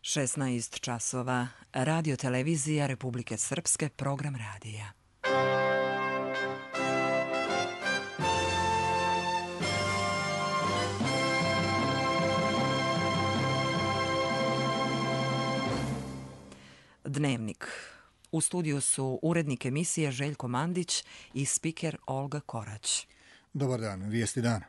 16 časova. Radio televizija Republike Srpske, program radija. Dnevnik. U studiju su urednik emisije Željko Mandić i spiker Olga Korać. Dobar dan, vijesti dana.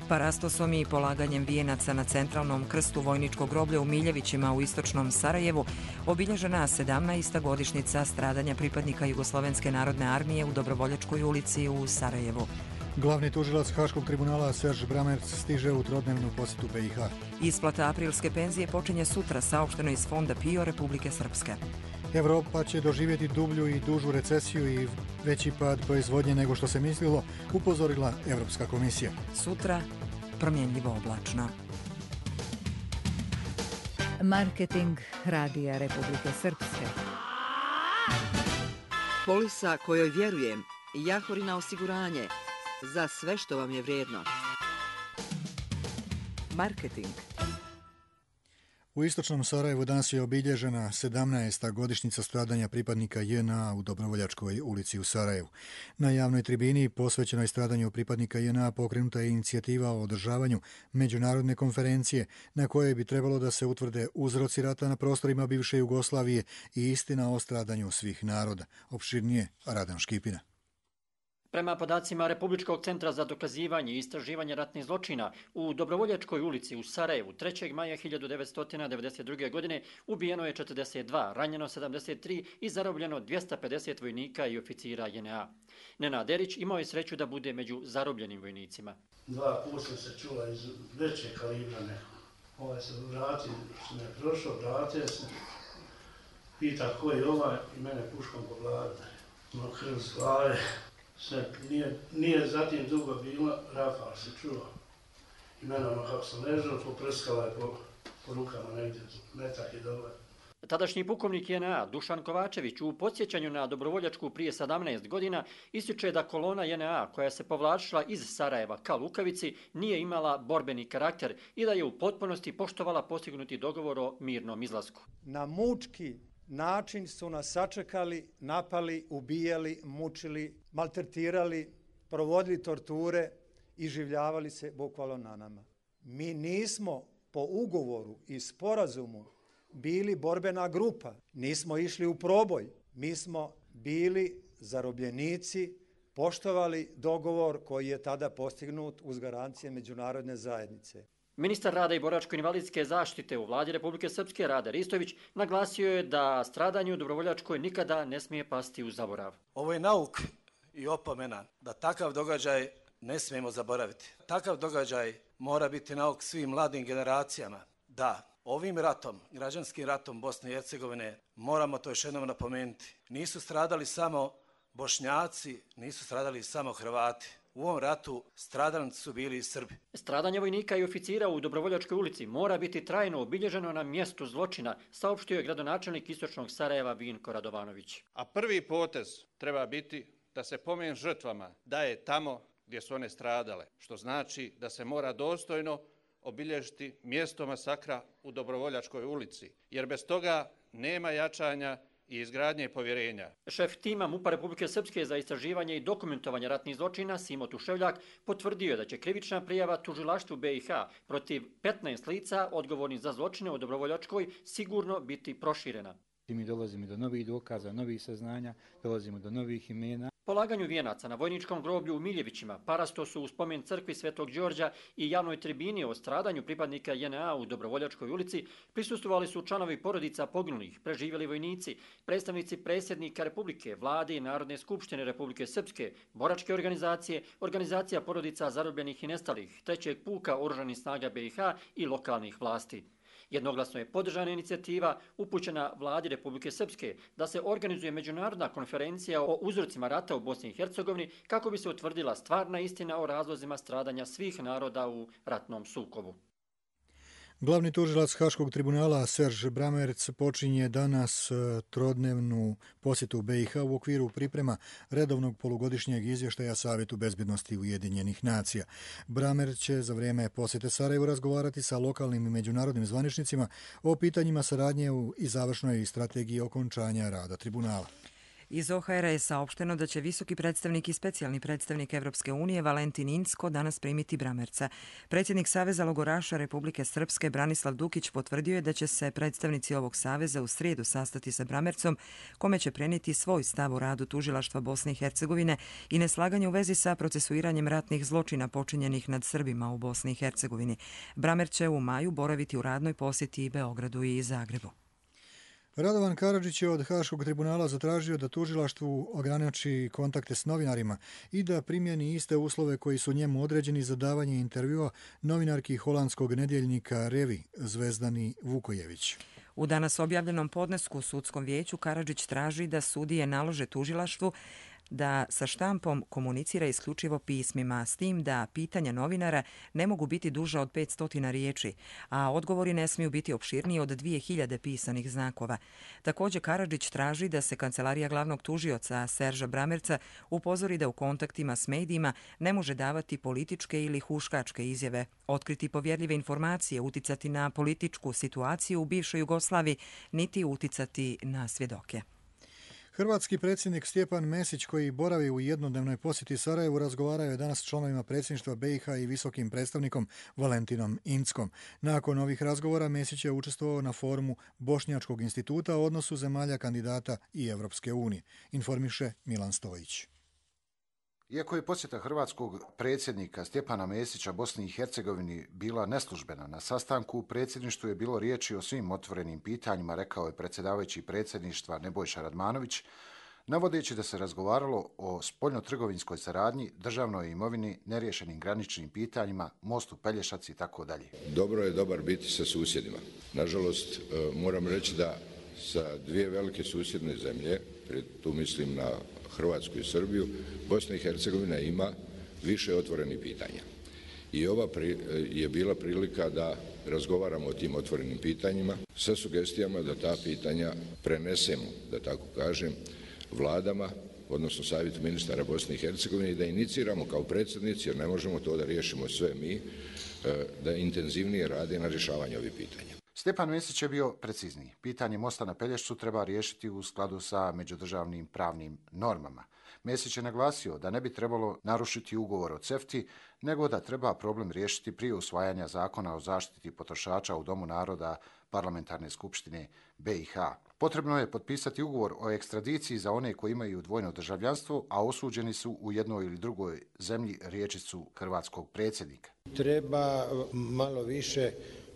Parastosom i polaganjem vijenaca na centralnom krstu vojničkog groblja u Miljevićima u istočnom Sarajevu obilježena 17. godišnjica stradanja pripadnika Jugoslovenske narodne armije u Dobrovoljačkoj ulici u Sarajevu. Glavni tužilac Haškog tribunala Serž Bramerc stiže u trodnevnu posjetu BiH. Isplata aprilske penzije počinje sutra, saopšteno iz Fonda PIO Republike Srpske. Evropa će doživjeti dublju i dužu recesiju i veći pad proizvodnje nego što se mislilo, upozorila Evropska komisija. Sutra promjenljivo oblačno. Marketing Radija Republike Srpske. Polisa kojoj vjerujem, Jahorina osiguranje, za sve što vam je vrijedno. Marketing. U istočnom Sarajevu danas je obilježena 17. godišnjica stradanja pripadnika JNA u Dobrovoljačkoj ulici u Sarajevu. Na javnoj tribini posvećenoj stradanju pripadnika JNA pokrenuta je inicijativa o održavanju međunarodne konferencije na kojoj bi trebalo da se utvrde uzroci rata na prostorima bivše Jugoslavije i istina o stradanju svih naroda. Opširnije Radan Škipina. Prema podacima Republičkog centra za dokazivanje i istraživanje ratnih zločina, u Dobrovoljačkoj ulici u Sarajevu 3. maja 1992. godine ubijeno je 42, ranjeno 73 i zarobljeno 250 vojnika i oficira JNA. Nenad Erić imao je sreću da bude među zarobljenim vojnicima. 2 puta sam se čula iz veće kalibra neko. Se vratio, sam je prošao, vratio se, pita ko je ovaj i mene puškom po glavi. No krv s glave. Sve, nije zatim dugo bilo, rafal se čuo. I mene kako sam ležao, poprskala je po rukama negdje, metak je dobar. Tadašnji pukovnik JNA Dušan Kovačević u podsjećanju na Dobrovoljačku prije 17 godina ističe da kolona JNA koja se povlačila iz Sarajeva ka Lukavici nije imala borbeni karakter i da je u potpunosti poštovala postignuti dogovor o mirnom izlasku. Na mučki način su nas sačekali, napali, ubijali, mučili, maltretirali, provodili torture i življavali se bukvalno na nama. Mi nismo po ugovoru i sporazumu bili borbena grupa, nismo išli u proboj, mi smo bili zarobljenici, poštovali dogovor koji je tada postignut uz garancije međunarodne zajednice. Ministar rada i boračko-invalidske zaštite u vladi Republike Srpske Rade Ristović naglasio je da stradanje u Dobrovoljačkoj nikada ne smije pasti u zaborav. Ovo je nauk i opomena da takav događaj ne smijemo zaboraviti. Takav događaj mora biti nauk svim mladim generacijama. Da, ovim ratom, građanskim ratom Bosne i Hercegovine, moramo to još jednom napomenuti. Nisu stradali samo Bošnjaci, nisu stradali samo Hrvati. U ovom ratu stradalnici su bili i Srbi. Stradanje vojnika i oficira u Dobrovoljačkoj ulici mora biti trajno obilježeno na mjestu zločina, saopštio je gradonačelnik istočnog Sarajeva Vinko Radovanović. A prvi potez treba biti da se pomen žrtvama daje tamo gdje su one stradale, što znači da se mora dostojno obilježiti mjesto masakra u Dobrovoljačkoj ulici, jer bez toga nema jačanja i izgradnje povjerenja. Šef tima MUP-a Republike Srpske za istraživanje i dokumentovanje ratnih zločina Simo Tuševljak potvrdio je da će krivična prijava tužilaštvu BiH protiv 15 lica odgovornih za zločine u Dobrovoljačkoj sigurno biti proširena. Mi dolazimo do novih dokaza, novih saznanja, dolazimo do novih imena. Polaganju vijenaca na vojničkom groblju u Miljevićima, parastosu u spomen crkvi Svetog Đorđa i javnoj tribini o stradanju pripadnika JNA u Dobrovoljačkoj ulici prisustvovali su članovi porodica poginulih, preživjeli vojnici, predstavnici predsjednika Republike, vlade i Narodne skupštine Republike Srpske, boračke organizacije, organizacija porodica zarobljenih i nestalih, 3. puka Oružanih snaga BiH i lokalnih vlasti. Jednoglasno je podržana inicijativa upućena vladi Republike Srpske da se organizuje međunarodna konferencija o uzrocima rata u Bosni i Hercegovini kako bi se utvrdila stvarna istina o razlozima stradanja svih naroda u ratnom sukobu. Glavni tužilac Haškog tribunala Serge Brammertz počinje danas trodnevnu posjetu BiH u okviru priprema redovnog polugodišnjeg izvještaja Savjetu bezbjednosti Ujedinjenih nacija. Brammertz će za vrijeme posjete Sarajevu razgovarati sa lokalnim i međunarodnim zvaničnicima o pitanjima saradnje i završnoj strategiji okončanja rada tribunala. Iz OHR je saopšteno da će visoki predstavnik i specijalni predstavnik Evropske unije Valentin Incko danas primiti Brammertza. Predsjednik Saveza logoraša Republike Srpske Branislav Dukić potvrdio je da će se predstavnici ovog saveza u srijedu sastati sa Brammertzom, kome će prenijeti svoj stav o radu tužilaštva Bosne i Hercegovine i neslaganje u vezi sa procesuiranjem ratnih zločina počinjenih nad Srbima u Bosni i Hercegovini. Brammertz će u maju boraviti u radnoj posjeti i Beogradu i Zagrebu. Radovan Karadžić je od Haškog tribunala zatražio da tužilaštvu ograniči kontakte s novinarima i da primjeni iste uslove koji su njemu određeni za davanje intervjua novinarki holandskog nedjeljnika Revi Zvezdani Vukojević. U danas objavljenom podnesku u sudskom vijeću Karadžić traži da sudije nalože tužilaštvu da sa štampom komunicira isključivo pismima, s tim da pitanja novinara ne mogu biti duža od 500 riječi, a odgovori ne smiju biti opširniji od 2000 pisanih znakova. Također Karadžić traži da se kancelarija glavnog tužioca Serža Brammertza upozori da u kontaktima s medijima ne može davati političke ili huškačke izjave, otkriti povjerljive informacije, uticati na političku situaciju u bivšoj Jugoslaviji, niti uticati na svjedoke. Hrvatski predsjednik Stjepan Mesić, koji boravi u jednodnevnoj posjeti Sarajevu, razgovarao je danas s članovima predsjedništva BiH i visokim predstavnikom Valentinom Inckom. Nakon ovih razgovora Mesić je učestvovao na forumu Bošnjačkog instituta o odnosu zemalja kandidata i Evropske unije, informiše Milan Stojić. Iako je posjeta hrvatskog predsjednika Stjepana Mesića Bosni i Hercegovini bila neslužbena, na sastanku u predsjedništvu je bilo riječi o svim otvorenim pitanjima, rekao je predsjedavajući predsjedništva Nebojša Radmanović, navodeći da se razgovaralo o spoljnotrgovinskoj saradnji, državnoj imovini, neriješenim graničnim pitanjima, mostu Pelješac i tako dalje. Dobro je dobar biti sa susjedima. Nažalost, moram reći da sa dvije velike susjedne zemlje, tu mislim na Hrvatsku i Srbiju, Bosna i Hercegovina ima više otvorenih pitanja. I ova je bila prilika da razgovaramo o tim otvorenim pitanjima sa sugestijama da ta pitanja prenesemo, da tako kažem, vladama, odnosno Savjetu ministara Bosne i Hercegovine i da iniciramo kao predsjednici, jer ne možemo to da riješimo sve mi, da intenzivnije rade na rješavanju ovih pitanja. Stjepan Mesić je bio precizniji. Pitanje mosta na Pelješcu treba riješiti u skladu sa međudržavnim pravnim normama. Mesić je naglasio da ne bi trebalo narušiti ugovor o CEFTA, nego da treba problem riješiti prije usvajanja zakona o zaštiti potrošača u Domu naroda Parlamentarne skupštine BiH. Potrebno je potpisati ugovor o ekstradiciji za one koji imaju dvojno državljanstvo, a osuđeni su u jednoj ili drugoj zemlji, riječicu hrvatskog predsjednika. Treba malo više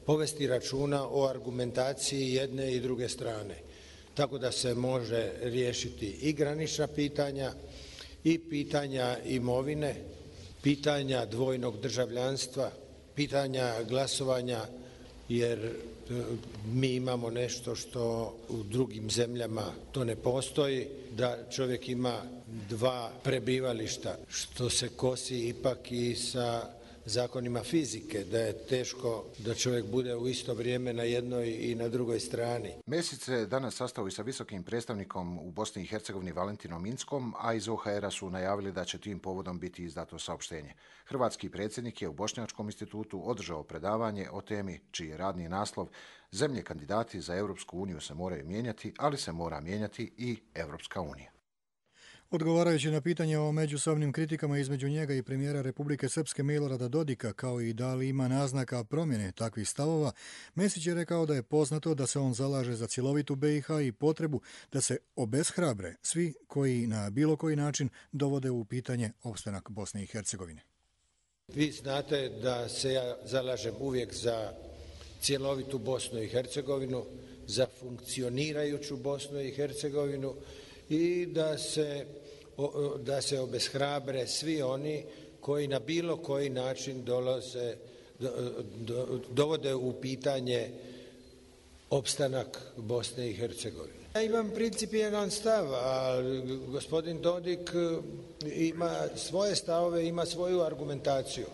povesti računa o argumentaciji jedne i druge strane, tako da se može riješiti i granična pitanja i pitanja imovine, pitanja dvojnog državljanstva, pitanja glasovanja, jer mi imamo nešto što u drugim zemljama to ne postoji, da čovjek ima dva prebivališta, što se kosi ipak i sa zakonima fizike, da je teško da čovjek bude u isto vrijeme na jednoj i na drugoj strani. Mesić se danas sastao i sa visokim predstavnikom u Bosni i Hercegovini Valentinom Inckom, a iz OHR-a su najavili da će tim povodom biti izdato saopštenje. Hrvatski predsjednik je u Bošnjačkom institutu održao predavanje o temi čiji je radni naslov "Zemlje kandidati za Europsku uniju se moraju mijenjati, ali se mora mijenjati i Europska unija." Odgovarajući na pitanje o međusobnim kritikama između njega i premijera Republike Srpske Milorada Dodika, kao i da li ima naznaka promjene takvih stavova, Mesić je rekao da je poznato da se on zalaže za cjelovitu BiH i potrebu da se obeshrabre svi koji na bilo koji način dovode u pitanje opstanak Bosne i Hercegovine. Vi znate da se ja zalažem uvijek za cjelovitu Bosnu i Hercegovinu, za funkcionirajuću Bosnu i Hercegovinu, i da se obeshrabre svi oni koji na bilo koji način dovode u pitanje opstanak Bosne i Hercegovine. Ja imam principijelan stav, a gospodin Dodik ima svoje stavove, ima svoju argumentaciju.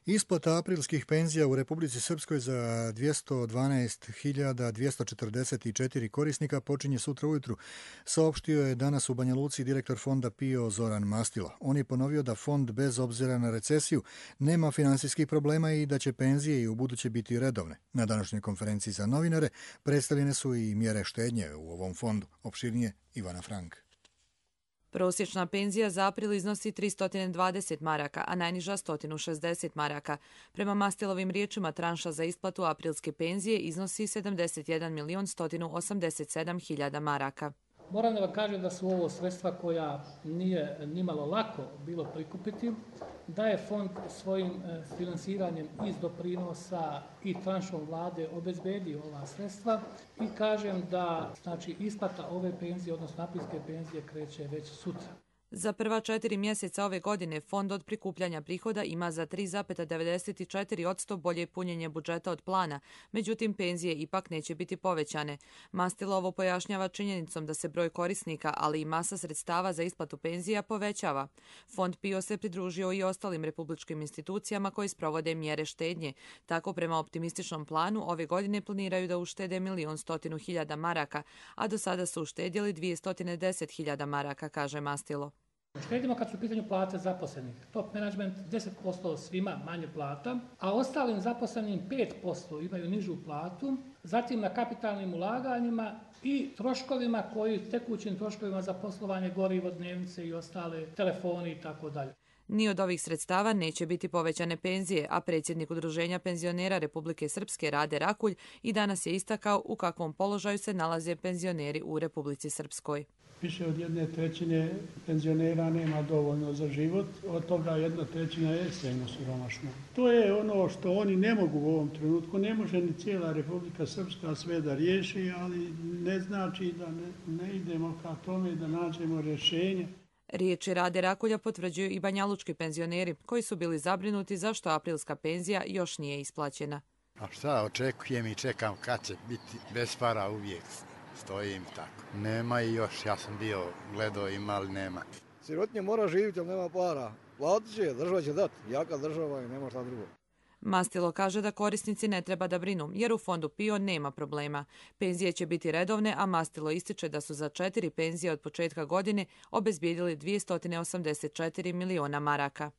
Isplata aprilskih penzija u Republici Srpskoj za 212.244 korisnika počinje sutra ujutru, saopštio je danas u Banja Luci direktor fonda PIO Zoran Mastilo. On je ponovio da fond bez obzira na recesiju nema finansijskih problema i da će penzije i u buduće biti redovne. Na današnjoj konferenciji za novinare predstavljene su i mjere štednje u ovom fondu. Opširnije Ivana Frank. Prosječna penzija za april iznosi 320 maraka, a najniža 160 maraka. Prema Mastilovim riječima, tranša za isplatu aprilske penzije iznosi 71.187.000 maraka. Moram da vam kažem da su ovo sredstva koja nije nimalo lako bilo prikupiti, da je fond svojim finansiranjem iz doprinosa i tranšom vlade obezbedio ova sredstva i kažem da isplata ove penzije, odnosno aprilske penzije, kreće već sutra. Za prva 4 mjeseca ove godine fond od prikupljanja prihoda ima za 3,94% bolje punjenje budžeta od plana, međutim penzije ipak neće biti povećane. Mastilo ovo pojašnjava činjenicom da se broj korisnika, ali i masa sredstava za isplatu penzija povećava. Fond PIO se pridružio i ostalim republičkim institucijama koji sprovode mjere štednje. Tako prema optimističnom planu ove godine planiraju da uštede 1.100.000 maraka, a do sada su uštedjeli 210.000 maraka, kaže Mastilo. Štedimo kad su u pitanju plate zaposlenih. Top management 10% svima manje plata, a ostalim zaposlenim 5% imaju nižu platu, zatim na kapitalnim ulaganjima i troškovima tekućim troškovima za poslovanje, gorivo, dnevnice i ostale, telefoni i tako dalje. Ni od ovih sredstava neće biti povećane penzije, a predsjednik Udruženja penzionera Republike Srpske Rade Rakulj i danas je istakao u kakvom položaju se nalaze penzioneri u Republici Srpskoj. Više od 1/3 penzionera nema dovoljno za život, od toga 1/3 je ekstremno siromašna. To je ono što oni ne mogu u ovom trenutku, ne može ni cijela Republika Srpska sve da riješi, ali ne znači da ne idemo ka tome da nađemo rješenje. Riječi Rade Rakulja potvrđuju i banjalučki penzioneri koji su bili zabrinuti zašto aprilska penzija još nije isplaćena. A šta očekujem i čekam kad će biti bez para, uvijek stojim tako. Nema i još, ja sam bio gledao, ima ali nema. Sirotinja mora živjeti, ali nema para. Platit će, država će dati, jaka država i nema šta drugo. Mastilo kaže da korisnici ne treba da brinu, jer u fondu PIO nema problema. Penzije će biti redovne, a Mastilo ističe da su za 4 penzije od početka godine obezbijedili 284 miliona maraka.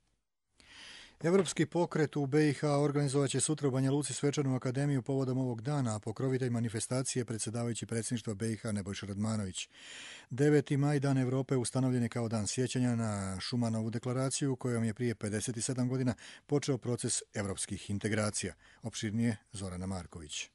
Evropski pokret u BiH organizovat će sutra u Banja Luci svečanu akademiju povodom ovog dana, a pokrovitelj manifestacije predsjedavajući predsjedništva BiH Nebojša Radmanović. 9. maj, Dan Evrope, ustanovljen je kao dan sjećanja na Šumanovu deklaraciju kojom je prije 57 godina počeo proces evropskih integracija. Opširnije Zorana Marković.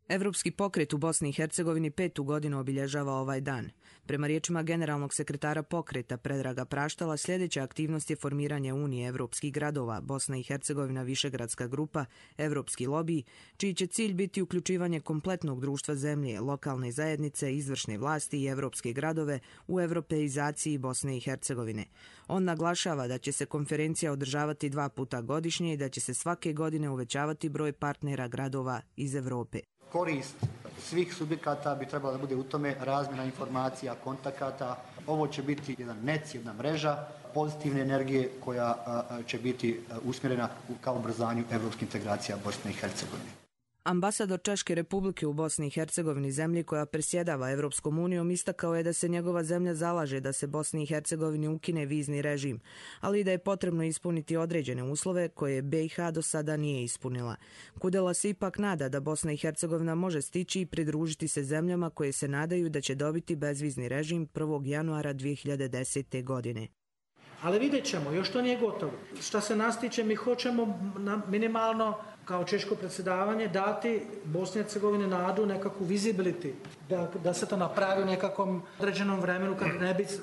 Evropski pokret u Bosni i Hercegovini 5. godinu obilježava ovaj dan. Prema riječima generalnog sekretara pokreta Predraga Praštala, sljedeća aktivnost je formiranje Unije evropskih gradova, Bosna i Hercegovina višegradska grupa, evropski lobiji, čiji će cilj biti uključivanje kompletnog društva zemlje, lokalne zajednice, izvršne vlasti i evropske gradove u evropeizaciji Bosne i Hercegovine. On naglašava da će se konferencija održavati 2 puta godišnje i da će se svake godine uvećavati broj partnera gradova iz Evrope. Korist svih subjekata bi trebala da bude u tome razmjena informacija, kontakata. Ovo će biti jedan nec, jedna mreža pozitivne energije koja će biti usmjerena ka ubrzanju evropskih integracija Bosne i Hercegovine. Ambasador Češke Republike u Bosni i Hercegovini, zemlji koja predsjedava Evropskom unijom, istakao je da se njegova zemlja zalaže da se Bosni i Hercegovini ukine vizni režim, ali i da je potrebno ispuniti određene uslove koje BiH do sada nije ispunila. Kudela se ipak nada da Bosna i Hercegovina može stići i pridružiti se zemljama koje se nadaju da će dobiti bezvizni režim 1. januara 2010. godine. Ali vidjet ćemo, još to nije gotovo. Šta se nas tiče, mi hoćemo minimalno kao češko predsjedavanje dati Bosni i Hercegovini nadu, nekakvu visibility, da se to napravi u nekakvom određenom vremenu kad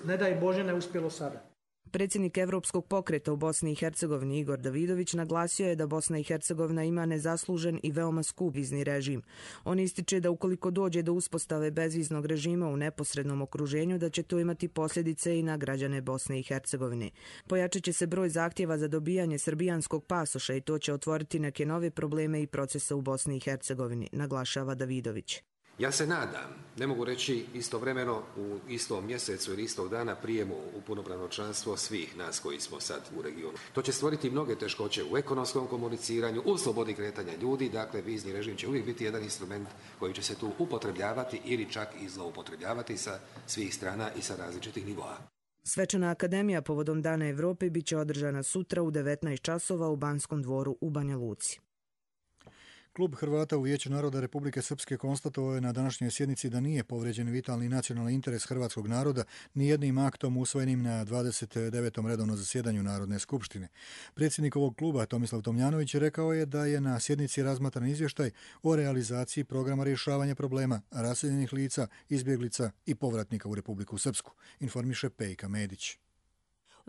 ne daj Bože ne uspjelo sada. Predsjednik Evropskog pokreta u Bosni i Hercegovini Igor Davidović naglasio je da Bosna i Hercegovina ima nezaslužen i veoma skup vizni režim. On ističe da ukoliko dođe do uspostave bezviznog režima u neposrednom okruženju, da će to imati posljedice i na građane Bosne i Hercegovine. Pojačat će se broj zahtjeva za dobijanje srbijanskog pasoša i to će otvoriti neke nove probleme i procese u Bosni i Hercegovini, naglašava Davidović. Ja se nadam, ne mogu reći istovremeno u istom mjesecu ili istog dana prijemu u punopravno članstvo svih nas koji smo sad u regionu. To će stvoriti mnoge teškoće u ekonomskom komuniciranju, u slobodi kretanja ljudi, dakle vizni režim će uvijek biti jedan instrument koji će se tu upotrebljavati ili čak i zloupotrebljavati sa svih strana i sa različitih nivoa. Svečana akademija povodom Dana Evrope bit će održana sutra u 19 časova u Banskom dvoru u Banja Luci. Klub Hrvata u Vijeću naroda Republike Srpske konstatovao je na današnjoj sjednici da nije povrijeđen vitalni nacionalni interes hrvatskog naroda ni jednim aktom usvojenim na 29. redovnom zasjedanju Narodne skupštine. Predsjednik ovog kluba Tomislav Tomljanović rekao je da je na sjednici razmatran izvještaj o realizaciji programa rješavanja problema raseljenih lica, izbjeglica i povratnika u Republiku Srpsku, informiše Pejka Medić.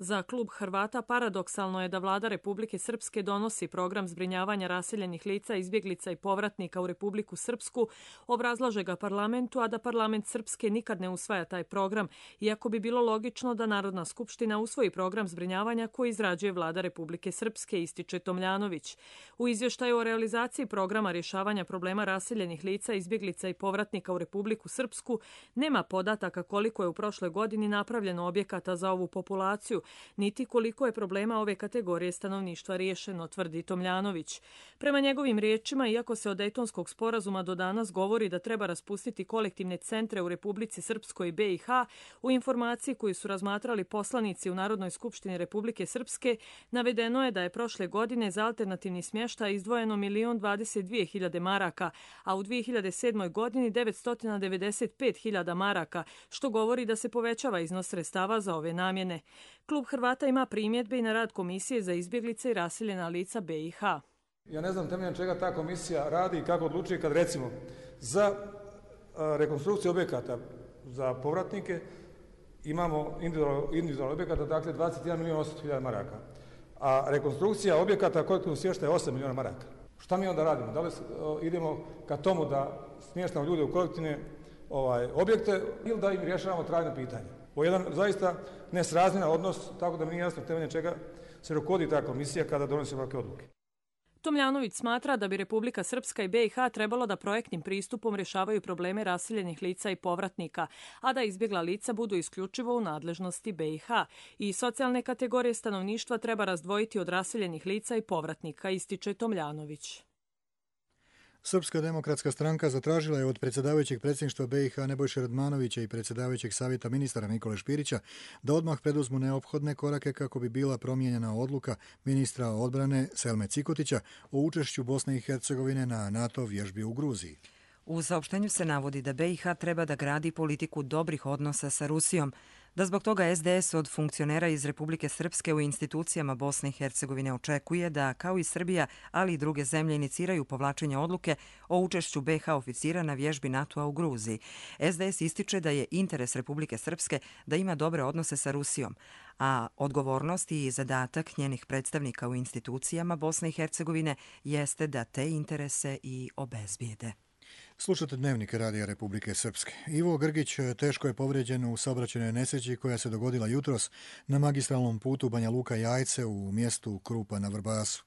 Za klub Hrvata paradoksalno je da vlada Republike Srpske donosi program zbrinjavanja raseljenih lica, izbjeglica i povratnika u Republiku Srpsku, obrazlaže ga parlamentu, a da parlament Srpske nikad ne usvaja taj program, iako bi bilo logično da Narodna skupština usvoji program zbrinjavanja koji izrađuje vlada Republike Srpske, ističe Tomljanović. U izvještaju o realizaciji programa rješavanja problema raseljenih lica, izbjeglica i povratnika u Republiku Srpsku nema podataka koliko je u prošloj godini napravljeno objekata za ovu populaciju, niti koliko je problema ove kategorije stanovništva riješeno, tvrdi Tomljanović. Prema njegovim riječima, iako se od Dejtonskog sporazuma do danas govori da treba raspustiti kolektivne centre u Republici Srpskoj i BiH, u informaciji koju su razmatrali poslanici u Narodnoj skupštini Republike Srpske, navedeno je da je prošle godine za alternativni smještaj izdvojeno 1.022.000 maraka, a u 2007. godini 995.000 maraka, što govori da se povećava iznos sredstava za ove namjene. Klub Hrvata ima primjedbe i na rad Komisije za izbjeglice i raseljena lica BiH. Ja ne znam temeljem čega ta komisija radi i kako odlučuje kad recimo za rekonstrukciju objekata za povratnike imamo individualno objekata, dakle 21.800.000 maraka, a rekonstrukcija objekata kolektivnog smještaja je 8 milijuna maraka. Šta mi onda radimo? Da li idemo ka tomu da smještamo ljude u kolektivne objekte ili da im rješavamo trajno pitanje? Ovo je jedan zaista nesrazmjeran odnos, tako da mi nije jasno temeljem čega se rukovodi ta komisija kada donosi ovakve odluke. Tomljanović smatra da bi Republika Srpska i BiH trebalo da projektnim pristupom rješavaju probleme raseljenih lica i povratnika, a da izbjegla lica budu isključivo u nadležnosti BiH. I socijalne kategorije stanovništva treba razdvojiti od raseljenih lica i povratnika, ističe Tomljanović. Srpska demokratska stranka zatražila je od predsjedavajućeg predsjedništva BiH Nebojše Radmanovića i predsjedavajućeg savjeta ministara Nikole Špirića da odmah preduzmu neophodne korake kako bi bila promijenjena odluka ministra odbrane Selme Cikotića o učešću Bosne i Hercegovine na NATO vježbi u Gruziji. U saopštenju se navodi da BiH treba da gradi politiku dobrih odnosa sa Rusijom, da zbog toga SDS od funkcionera iz Republike Srpske u institucijama Bosne i Hercegovine očekuje da, kao i Srbija, ali i druge zemlje iniciraju povlačenje odluke o učešću BiH oficira na vježbi NATO-a u Gruziji. SDS ističe da je interes Republike Srpske da ima dobre odnose sa Rusijom, a odgovornost i zadatak njenih predstavnika u institucijama Bosne i Hercegovine jeste da te interese i obezbijede. Slušate Dnevnik Radija Republike Srpske. Ivo Grgić teško je povrijeđen u saobraćajnoj nesreći koja se dogodila jutros na magistralnom putu Banja Luka-Jajce u mjestu Krupa na Vrbasu.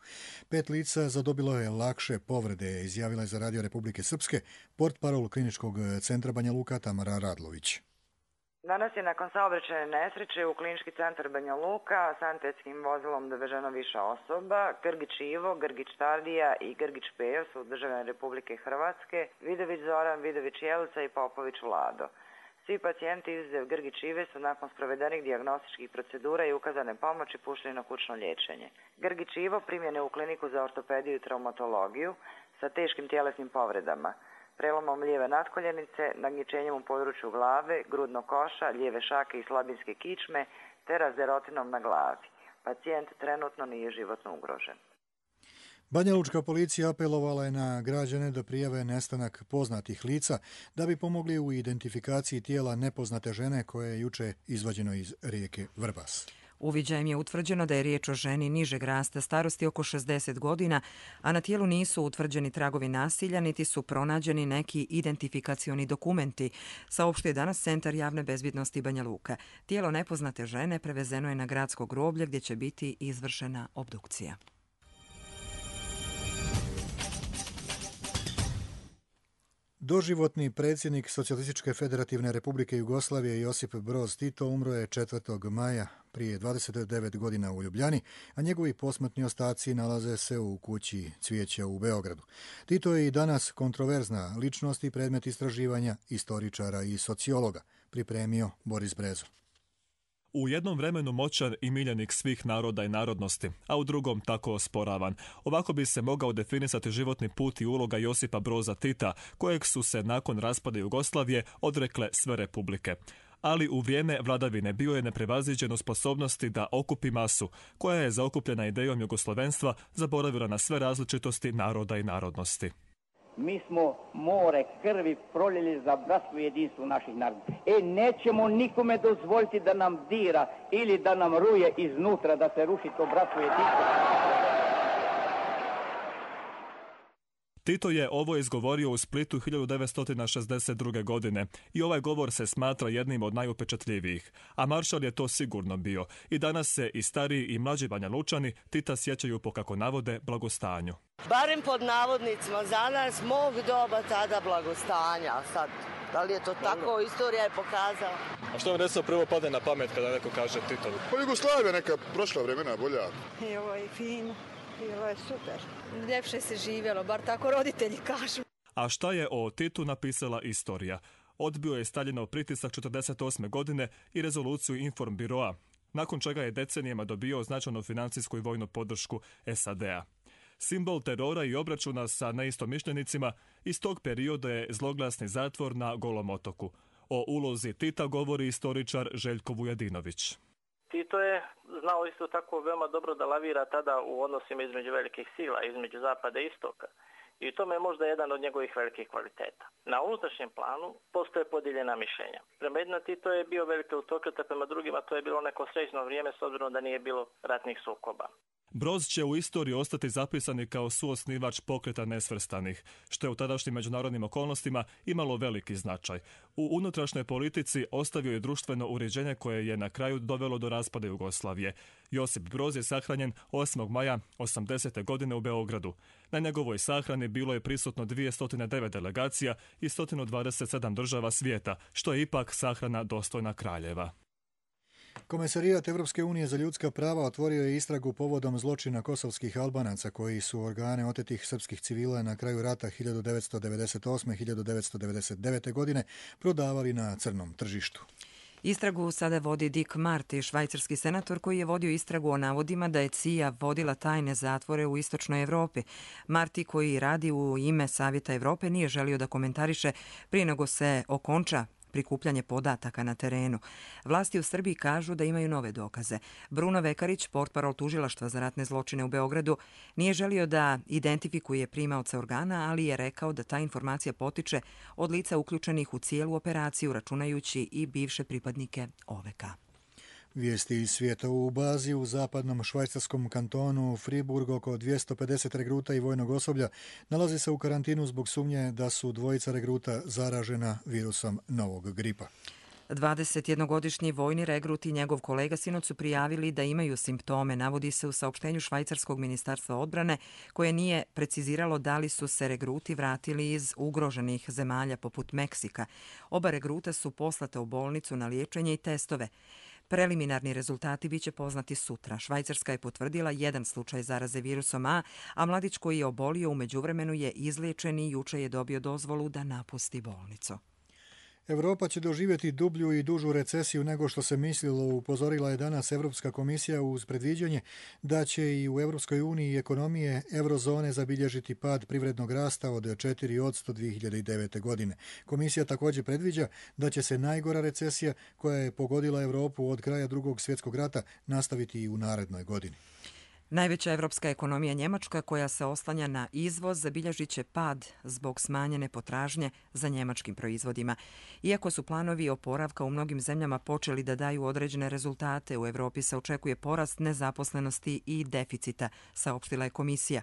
5 lica zadobilo je lakše povrede, izjavila je za Radio Republike Srpske portparol Kliničkog centra Banja Luka Tamara Radlović. Danas je nakon saobraćajne nesreće u Klinički centar Banja Luka sanitetskim vozilom doveženo više osoba. Grgić Ivo, Grgić Tardija i Grgić Pejo su državljani Republike Hrvatske, Vidović Zoran, Vidović Jelica i Popović Vlado. Svi pacijenti izuzev Grgić Ive su nakon sprovedenih dijagnostičkih procedura i ukazane pomoći pušteni na kućno liječenje. Grgić Ivo primljen je u kliniku za ortopediju i traumatologiju sa teškim tjelesnim povredama, prelomom lijeve natkoljenice, nagničenjem u području glave, grudnog koša, lijeve šake i slabinske kičme, te razderotinom na glavi. Pacijent trenutno nije životno ugrožen. Banja Lučka policija apelovala je na građane da prijave nestanak poznatih lica da bi pomogli u identifikaciji tijela nepoznate žene koje je juče izvađeno iz rijeke Vrbas. Uviđajem je utvrđeno da je riječ o ženi nižeg rasta starosti oko 60 godina, a na tijelu nisu utvrđeni tragovi nasilja, niti su pronađeni neki identifikacioni dokumenti, saopštuje danas Centar javne bezbjednosti Banja Luka. Tijelo nepoznate žene prevezeno je na gradsko groblje gdje će biti izvršena obdukcija. Doživotni predsjednik Socijalističke federativne republike Jugoslavije Josip Broz Tito umro je 4. maja prije 29 godina u Ljubljani, a njegovi posmrtni ostaci nalaze se u kući Cvijeća u Beogradu. Tito je i danas kontroverzna ličnost i predmet istraživanja istoričara i sociologa, pripremio Boris Brezo. U jednom vremenu moćan i miljenik svih naroda i narodnosti, a u drugom tako osporavan. Ovako bi se mogao definisati životni put i uloga Josipa Broza Tita, kojeg su se nakon raspada Jugoslavije odrekle sve republike. Ali u vrijeme vladavine bio je neprevaziđen u sposobnosti da okupi masu, koja je zaokupljena idejom jugoslavenstva zaboravila na sve različitosti naroda i narodnosti. Mi smo more krvi proljeli za bratstvo i jedinstvo naših naroda. Nećemo nikome dozvoliti da nam dira ili da nam ruje iznutra, da se ruši to bratstvo i jedinstvo. Tito je ovo izgovorio u Splitu 1962. godine i ovaj govor se smatra jednim od najupečatljivijih. A maršal je to sigurno bio. I danas se i stariji i mlađi Banja Lučani Tita sjećaju po, kako navode, blagostanju. Barem pod navodnicima za nas mog doba tada blagostanja. Sad, da li je to tako, istorija je pokazala. A što vam recimo prvo padne na pamet kada neko kaže Tito? Pa Jugoslavija, neka prošla vremena bolja. I ovo je fino. Bilo je super. Ljepše se živjelo, bar tako roditelji kažu. A šta je o Titu napisala istorija? Odbio je Staljinov pritisak 1948. godine i rezoluciju Informbiroa, nakon čega je decenijama dobio značajnu financijsku i vojnu podršku SAD-a. Simbol terora i obračuna sa neistomišljenicima iz tog perioda je zloglasni zatvor na Golom otoku. O ulozi Tita govori istoričar Željko Vujadinović. Tito je znao isto tako veoma dobro da lavira tada u odnosima između velikih sila, između zapada i istoka. I u tome je možda jedan od njegovih velikih kvaliteta. Na unutrašnjem planu postoje podijeljena mišljenja. Prema jedno Tito je bio veliki autokrat, a prema drugima to je bilo neko srećno vrijeme s obzirom da nije bilo ratnih sukoba. Broz će u istoriji ostati zapisani kao suosnivač pokreta nesvrstanih, što je u tadašnjim međunarodnim okolnostima imalo veliki značaj. U unutrašnjoj politici ostavio je društveno uređenje koje je na kraju dovelo do raspada Jugoslavije. Josip Broz je sahranjen 8. maja 80. godine u Beogradu. Na njegovoj sahrani bilo je prisutno 209 delegacija i 127 država svijeta, što je ipak sahrana dostojna kraljeva. Komesarijat Evropske unije za ljudska prava otvorio je istragu povodom zločina kosovskih Albanaca koji su organe otetih srpskih civila na kraju rata 1998-1999. godine prodavali na crnom tržištu. Istragu sada vodi Dick Marty, švajcarski senator koji je vodio istragu o navodima da je CIA vodila tajne zatvore u istočnoj Evropi. Marty, koji radi u ime Savjeta Evrope, nije želio da komentariše prije nego se okonča prikupljanje podataka na terenu. Vlasti u Srbiji kažu da imaju nove dokaze. Bruno Vekarić, portparol tužilaštva za ratne zločine u Beogradu, nije želio da identifikuje primaoca organa, ali je rekao da ta informacija potiče od lica uključenih u cijelu operaciju, računajući i bivše pripadnike OVK. Vijesti iz svijeta. U bazi u zapadnom švajcarskom kantonu Friburg oko 250 regruta i vojnog osoblja nalazi se u karantinu zbog sumnje da su dvojica regruta zaražena virusom novog gripa. 21-godišnji vojni regrut i njegov kolega sinoć su prijavili da imaju simptome, navodi se u saopštenju švajcarskog ministarstva odbrane, koje nije preciziralo da li su se regruti vratili iz ugroženih zemalja poput Meksika. Oba regruta su poslata u bolnicu na liječenje i testove. Preliminarni rezultati biće poznati sutra. Švajcarska je potvrdila jedan slučaj zaraze virusom A, a mladić koji je obolio u međuvremenu je izliječen i juče je dobio dozvolu da napusti bolnicu. Europa će doživjeti dublju i dužu recesiju nego što se mislilo, upozorila je danas Europska komisija uz predviđanje da će i u Europskoj uniji ekonomije eurozone zabilježiti pad privrednog rasta od 4% 2009. godine. Komisija također predviđa da će se najgora recesija koja je pogodila Europu od kraja Drugog svjetskog rata nastaviti i u narednoj godini. Najveća evropska ekonomija Njemačka, koja se oslanja na izvoz, zabilježit će pad zbog smanjene potražnje za njemačkim proizvodima. Iako su planovi oporavka u mnogim zemljama počeli da daju određene rezultate, u Evropi se očekuje porast nezaposlenosti i deficita, saopštila je komisija.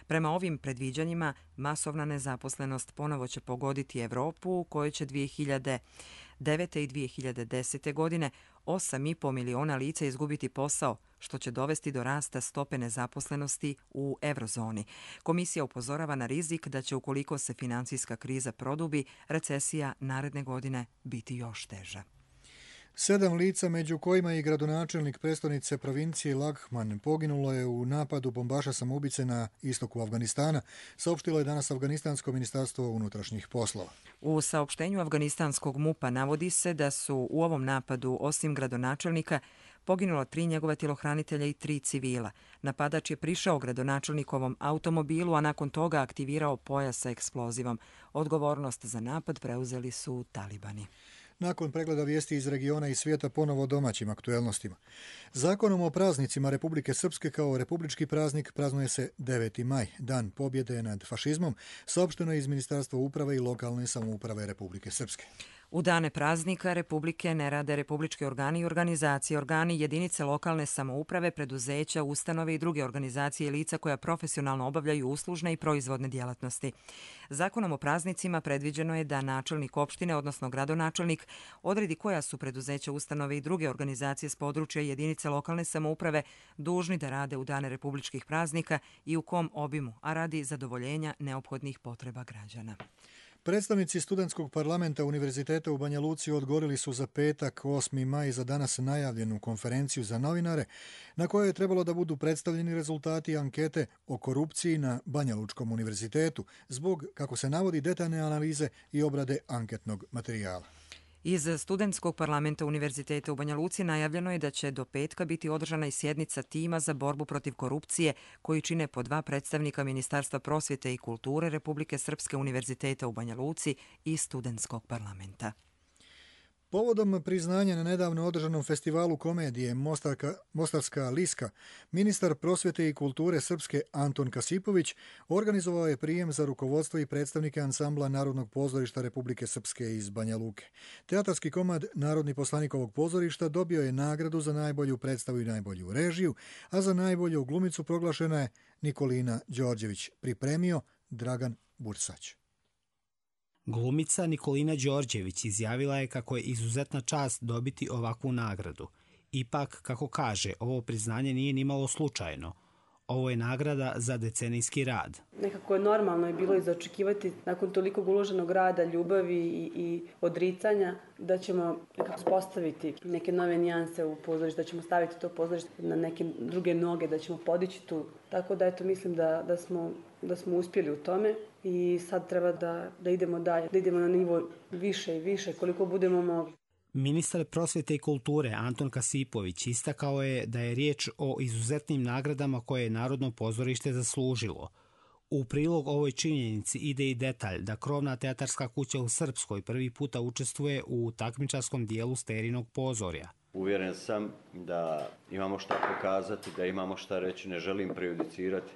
Prema ovim predviđanjima, masovna nezaposlenost ponovo će pogoditi Evropu, u kojoj će 2009. i 2010. godine 8,5 miliona lica izgubiti posao, što će dovesti do rasta stope nezaposlenosti u eurozoni. Komisija upozorava na rizik da će, ukoliko se financijska kriza produbi, recesija naredne godine biti još teža. 7 lica, među kojima i gradonačelnik prestonice provincije Laghman, poginulo je u napadu bombaša samoubice na istoku Afganistana, saopštilo je danas Afganistansko ministarstvo unutrašnjih poslova. U saopštenju afganistanskog MUP-a navodi se da su u ovom napadu, osim gradonačelnika, poginulo 3 njegova tjelohranitelja i 3 civila. Napadač je prišao gradonačelnikovom automobilu, a nakon toga aktivirao pojas sa eksplozivom. Odgovornost za napad preuzeli su talibani. Nakon pregleda vijesti iz regiona i svijeta, ponovo domaćim aktuelnostima. Zakonom o praznicima Republike Srpske kao republički praznik praznuje se 9. maj, dan pobjede nad fašizmom, saopšteno je iz Ministarstva uprave i lokalne samouprave Republike Srpske. U dane praznika Republike ne rade republički organi i organizacije, organi, jedinice lokalne samouprave, preduzeća, ustanove i druge organizacije i lica koja profesionalno obavljaju uslužne i proizvodne djelatnosti. Zakonom o praznicima predviđeno je da načelnik opštine, odnosno gradonačelnik, odredi koja su preduzeća, ustanove i druge organizacije s područja jedinice lokalne samouprave dužni da rade u dane republičkih praznika i u kom obimu, a radi zadovoljenja neophodnih potreba građana. Predstavnici studentskog parlamenta Univerziteta u Banja Luci odgovorili su za petak 8. maj za danas najavljenu konferenciju za novinare na kojoj je trebalo da budu predstavljeni rezultati ankete o korupciji na Banja Lučkom univerzitetu zbog, kako se navodi, detaljne analize i obrade anketnog materijala. Iz studentskog parlamenta Univerziteta u Banja Luci najavljeno je da će do petka biti održana i sjednica tima za borbu protiv korupcije koji čine po 2 predstavnika Ministarstva prosvjete i kulture Republike Srpske, Univerziteta u Banja Luci i studentskog parlamenta. Povodom priznanja na nedavno održanom festivalu komedije Mostarska liska, ministar prosvjete i kulture Srpske Anton Kasipović organizovao je prijem za rukovodstvo i predstavnike ansambla Narodnog pozorišta Republike Srpske iz Banja Luke. Teatarski komad Narodni poslanik ovog pozorišta dobio je nagradu za najbolju predstavu i najbolju režiju, a za najbolju glumicu proglašena je Nikolina Đorđević, pripremio Dragan Bursać. Glumica Nikolina Đorđević izjavila je kako je izuzetna čast dobiti ovakvu nagradu. Ipak, kako kaže, ovo priznanje nije nimalo slučajno. Ovo je nagrada za decenijski rad. Nekako je normalno je bilo i zaočekivati nakon tolikog uloženog rada, ljubavi i odricanja da ćemo nekako postaviti neke nove nijanse u pozorište, da ćemo staviti to pozorište na neke druge noge, da ćemo podići tu. Tako da eto, mislim da smo uspjeli u tome i sad treba da idemo dalje, da idemo na nivo više i više koliko budemo mogli. Ministar prosvjete i kulture Anton Kasipović istakao je da je riječ o izuzetnim nagradama koje je Narodno pozorište zaslužilo. U prilog ovoj činjenici ide i detalj da krovna teatarska kuća u Srpskoj prvi puta učestvuje u takmičarskom dijelu Sterinog pozorja. Uvjeren sam da imamo šta pokazati, da imamo šta reći, ne želim prejudicirati.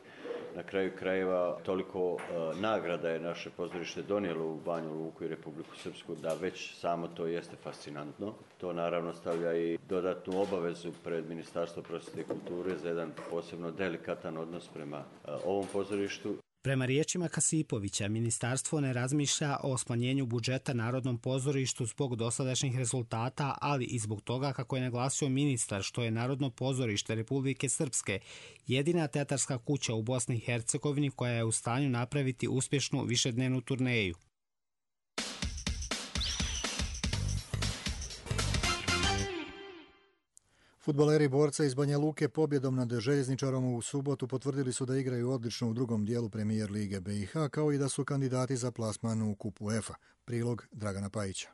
Na kraju krajeva toliko nagrada je naše pozorište donijelo u Banju Luku i Republiku Srpsku da već samo to jeste fascinantno. To naravno stavlja i dodatnu obavezu pred Ministarstvo prosvjete i kulture za jedan posebno delikatan odnos prema ovom pozorištu. Prema riječima Kasipovića, ministarstvo ne razmišlja o smanjenju budžeta Narodnom pozorištu zbog dosadašnjih rezultata, ali i zbog toga, kako je naglasio ministar, što je Narodno pozorište Republike Srpske jedina teatarska kuća u Bosni i Hercegovini koja je u stanju napraviti uspješnu višednevnu turneju. Fudbaleri Borca iz Banja Luke pobjedom nad Željezničarom u subotu potvrdili su da igraju odlično u drugom dijelu Premijer Lige BiH, kao i da su kandidati za plasman u Kupu UEFA. Prilog Dragana Pajića.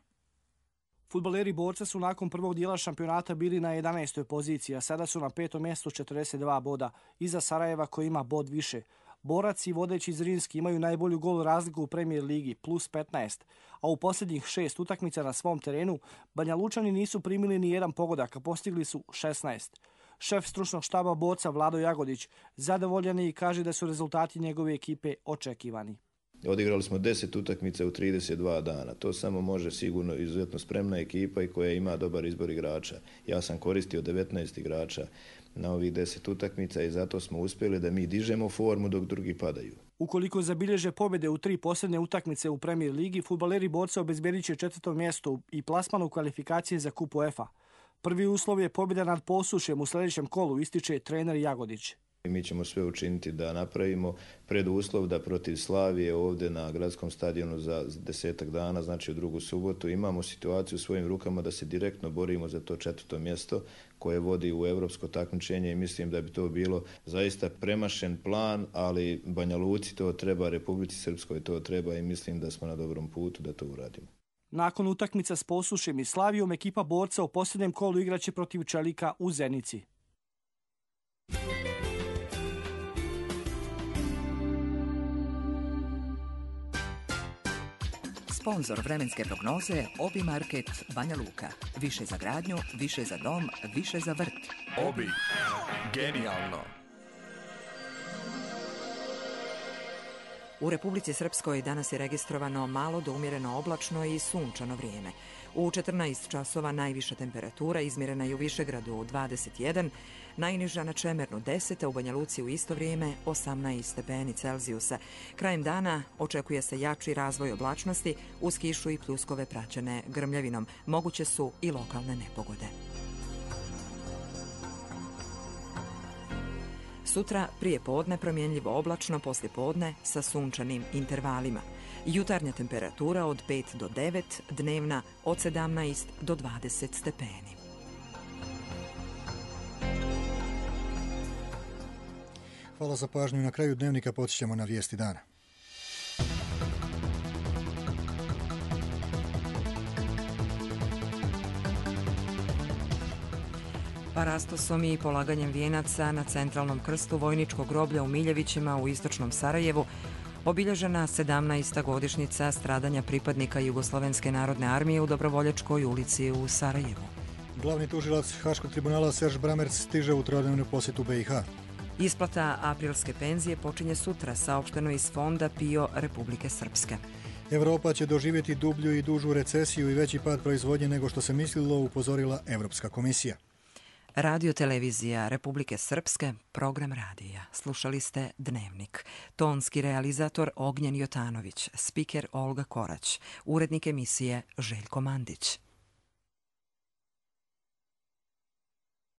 Fudbaleri Borca su nakon prvog dijela šampionata bili na 11. poziciji, a sada su na 5. mjestu 42 boda, iza Sarajeva koji ima bod više. Borac i vodeći Zrinski imaju najbolju gol razliku u Premijer Ligi, plus 15, a u posljednjih 6 utakmica na svom terenu Banja Lučani nisu primili ni jedan pogodak, a postigli su 16. Šef stručnog štaba Borca Vlado Jagodić zadovoljan je i kaže da su rezultati njegove ekipe očekivani. Odigrali smo 10 utakmica u 32 dana. To samo može sigurno izuzetno spremna ekipa i koja ima dobar izbor igrača. Ja sam koristio 19 igrača na ovih 10 utakmica i zato smo uspjeli da mi dižemo formu dok drugi padaju. Ukoliko zabilježe pobjede u 3 posljednje utakmice u Premier ligi, fudbaleri Borca obezbjedit će 4. mjesto i plasman u kvalifikacije za Kup UEFA. Prvi uslov je pobjeda nad Posušjem u sljedećem kolu, ističe trener Jagodić. Mi ćemo sve učiniti da napravimo preduslov da protiv Slavije ovdje na gradskom stadionu za 10 dana, znači u drugu subotu, imamo situaciju u svojim rukama da se direktno borimo za to 4. mjesto koje vodi u europsko takmičenje i mislim da bi to bilo zaista premašen plan, ali Banja Luci to treba, Republici Srpskoj to treba i mislim da smo na dobrom putu da to uradimo. Nakon utakmica s Posušjem i Slavijom, ekipa Borca u posljednjem kolu igraće protiv Čelika u Zenici. Sponzor vremenske prognoze Obi Market Banja Luka. Više za gradnju, više za dom, više za vrt. Obi. Genijalno. U Republici Srpskoj danas je registrovano malo do umjereno oblačno i sunčano vrijeme. U 14 časova najviša temperatura izmjerena je u Višegradu 21, najniža na Čemernu 10, a u Banja Luci u isto vrijeme 18 stepeni Celzijusa. Krajem dana očekuje se jači razvoj oblačnosti uz kišu i pljuskove praćene grmljavinom. Moguće su i lokalne nepogode. Sutra prije podne promjenljivo oblačno, poslije podne sa sunčanim intervalima. Jutarnja temperatura od 5 do 9, dnevna od 17 do 20 stepeni. Hvala za pažnju. Na kraju dnevnika podsjećamo na vijesti dana. Parastosom i polaganjem vijenaca na centralnom krstu Vojničkog groblja u Miljevićima u istočnom Sarajevu obilježena 17. godišnjica stradanja pripadnika Jugoslovenske narodne armije u Dobrovoljačkoj ulici u Sarajevu. Glavni tužilac Haškog tribunala Serž Bramerc stiže u trodnevnu posjetu BiH. Isplata aprilske penzije počinje sutra, saopšteno iz fonda PIO Republike Srpske. Evropa će doživjeti dublju i dužu recesiju i veći pad proizvodnje nego što se mislilo, upozorila Evropska komisija. Radio televizija Republike Srpske, program radija. Slušali ste Dnevnik. Tonski realizator Ognjen Jotanović, spiker Olga Korać, urednik emisije Željko Mandić.